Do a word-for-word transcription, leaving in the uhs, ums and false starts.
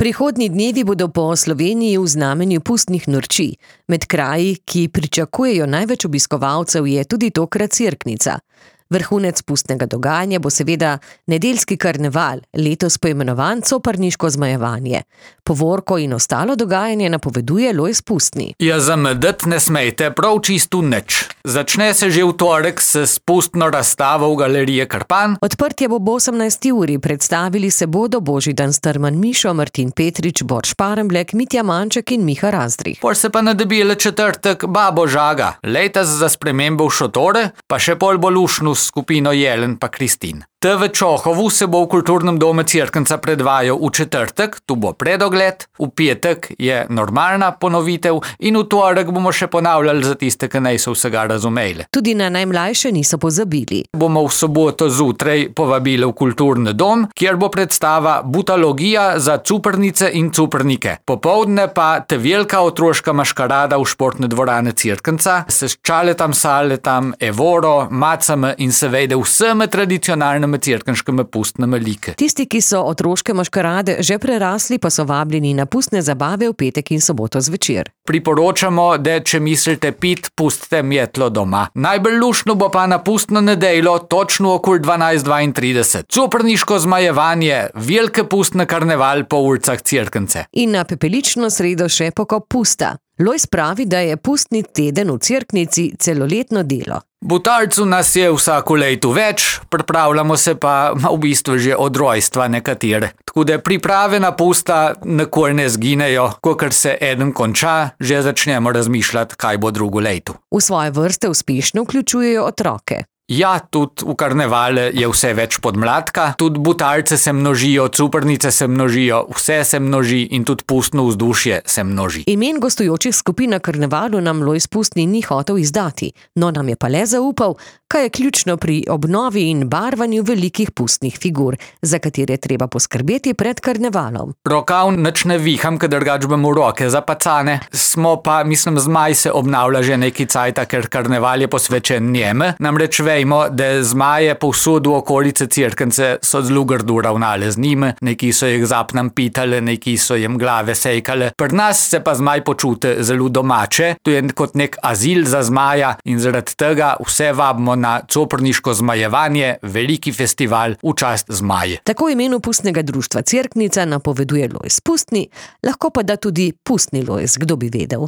Prihodnji dnevi bodo po Sloveniji v znamenju pustnih norčij. Med kraji, ki pričakujejo največ obiskovalcev, je tudi tokrat Cerknica. Vrhunec pustnega dogajanja bo seveda nedeljski karneval, letos poimenovan Coprniško zmajevanje. Povorko in ostalo dogajanje napoveduje Lojz Pustni. Ja, zamedeti ne smejte prav čisto nič. Začne se že v torek s pustno razstavo v galeriji Krpan. Odprtje bo ob osemnajsti uri, predstavili se bodo Božidan Strman Mišo, Martin Petrič, Bor Šparemblek, Mitja Manček in Miha Razdrih. Pol se pa nadebile četrtek Babo Žaga, letos za spremembo v šotore, pa še pol bo lušnu s skupino Jelen pa Kristin. Te v Čohovu se bo v kulturnem domu Cerknica predvajal v četrtek, tu bo predogled, v petek je normalna ponovitev in v torek bomo še ponavljali za tiste, ki niso vsega razumeli. Tudi na najmlajše niso pozabili. Bomo v soboto zjutraj povabili v kulturni dom, kjer bo predstava Butalogija za cuprnice in cuprnike. Popoldne pa te velika otroška maškarada v športne dvorane Cerknica se s čaletam, saletam, evoro, macami in seveda vsemi tradicionalnimi cerkenškimi pustnimi like. Tisti, ki so otroške maškarade že prerasli, pa so vabljeni na pustne zabave v petek in soboto zvečer. Priporočamo, da če mislite pit, pustite metlo doma. Najbolj luštno bo pa na pustno nedeljo, točno okoli dvanajst dvaintrideset. Coprniško zmajevanje, velike pustne karneval po ulicah Cerknice. In na pepelično sredo še pokop pusta. Lojz pravi, da je pustni teden v Cerknici celoletno delo. Butalcu nas je vsako leto več, pripravljamo se pa v bistvu že od rojstva nekatere. Tako da priprave na pusta nikoli ne zginejo, kokor se eden konča, že začnemo razmišljati, kaj bo drugo leto. V svoje vrste uspešno vključujejo otroke. Ja, tudi v karnevale je vse več podmladka, tudi butalce se množijo, cuprnice se množijo, vse se množi in tudi pustno vzdušje se množi. Imen gostujočih skupin na karnevalu nam Lojz Pustni ni hotel izdati, no nam je pa le zaupal, kaj je ključno pri obnovi in barvanju velikih pustnih figur, za katere treba poskrbeti pred karnevalom. Rokav nič ne viham, kad drugač bom v roke zapacane. Smo pa, mislim, zmaj se obnavlja že neki cajta, ker karneval je posvečen njeme, namreč vejmo, da zmaje povsod v okolice Cerknice so zelo grdo ravnale z njime, neki so jih zapnam pitale, neki so jim glave sejkale. Pri nas se pa zmaj počute zelo domače, to je kot nek azil za zmaja in zaradi tega vse vabimo na Coprniško zmajevanje, veliki festival v čast zmaje. Tako imenu pustnega društva Cerknica napoveduje Lojz Pustni, lahko pa da tudi Pustni Lojz, kdo bi vedel.